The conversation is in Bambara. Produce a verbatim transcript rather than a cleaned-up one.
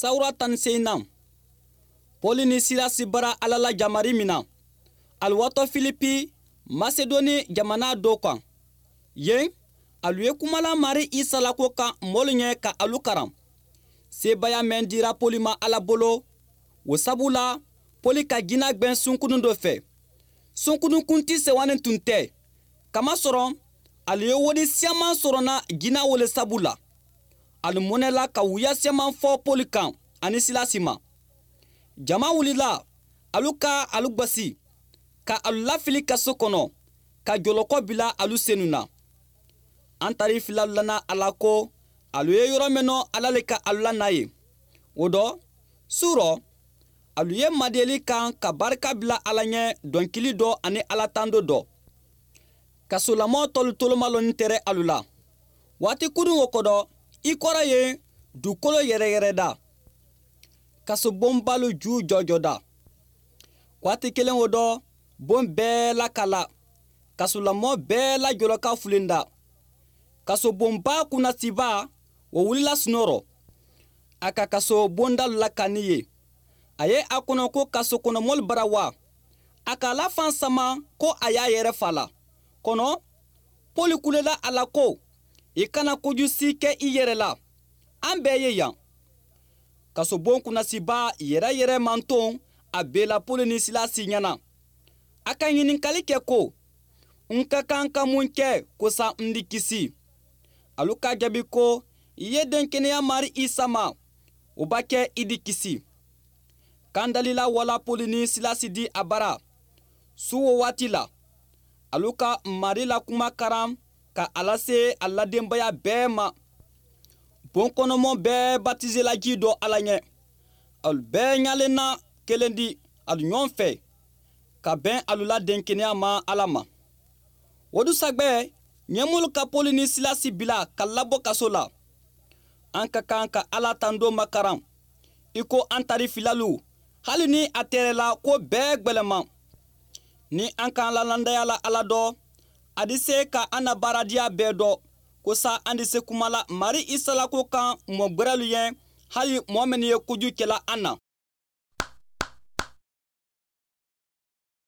Sawura tan ni seyinan, Pɔli ni Silasi bara Ala la jamari min na, alu watɔ Filipi, Masedoni jamana dɔ kan. Yen, alu ye kumala Mari Isa la ko kan mɔlu ɲɛ ka alu karan. Sebaya mɛn dira Pɔli ma Ala bolo, o sabu la Pɔli ka jina gbɛn sunkunun dɔ fɛ. Sunkunun kunti sewanin tun tɛ. Kamasɔrɔ alu ye wodi siyaman sɔrɔna jina wole sabu la. Alu mɔnɛla ka wuya siyaman fɔ Pɔli kan ani Silasi ma. Jama wulila, alu ka alu gbasi, ka alu lafili kaso kɔnɔ, ka jɔlɔkɔ bila alu senu na. An tari fila lana Ala ko alu ye yɔrɔ min nɔ, Ala le ka alu lana ye. O dɔ su rɔ, alu ye madeli kan ka barika bila Ala ɲɛ dɔnkili dɔ ani Ala tando dɔ. Kasolamɔ tɔlu toloma lɔnni tɛrɛ alu la. Waati kurun o kɔdɔ, i kɔrɔ ye dugukolo yɛrɛyɛrɛ da. Kasobonbalu ju jɔjɔ da. Waati kelen o dɔ, bon bɛɛ lakala. Kasolamɔ bɛɛ la jɔlɔka fulen da. Kasobonba kunnasiba o wulila sunɔrɔ. A ka kaso bondalu lakani ye. A ye a kɔnɔ ko kaso kɔnɔmɔlu bara wa. A k'a la fan sama ko a y'a yɛrɛ fa la. Kɔnɔ, Pɔli kulela a la ko, i kana kojugu si kɛ i yɛrɛ la. An bɛɛ ye yan. Kasobon kunnasiba yɛrɛ yɛrɛ manton a bela Pɔli ni Silasi ɲɛna. A ka ɲininkali kɛ ko, n ka kan ka mun kɛ kosa n di kisi? Alu ka jaabi ko, i ye den kɛnɛya Mari Isa ma, o b'a kɛ i di kisi. Kandalila wala Pɔli ni Silasi di a bara. Su o waati la, alu ka Mari la kuma karan ka a lase a ladenbaya bɛɛ ma. Bon kɔnɔmɔ bɛɛ batizela ji dɔ Ala ɲɛ. Alu bɛɛ ɲalen na kelen di alu ɲɔgɔn fɛ ka bɛn alu la denkɛnɛya ma Ala ma. O dusagbɛ, ɲɛmɔgɔlu ka Pɔli ni Silasi bila ka labɔ kaso la. An ka kan ka Ala tando makaran i ko an tari filalu, hali ni a tɛrɛla ko bɛɛ gwɛlɛman. Ni an k'an lalandaya la Ala dɔ, a di se ka an na baaradiya bɛɛ dɔ ko sa an di se kuma la Mari Isa la ko kan mɔ gwɛrɛlu ye, hali mɔɔ minnu ye kojugu kɛla an na.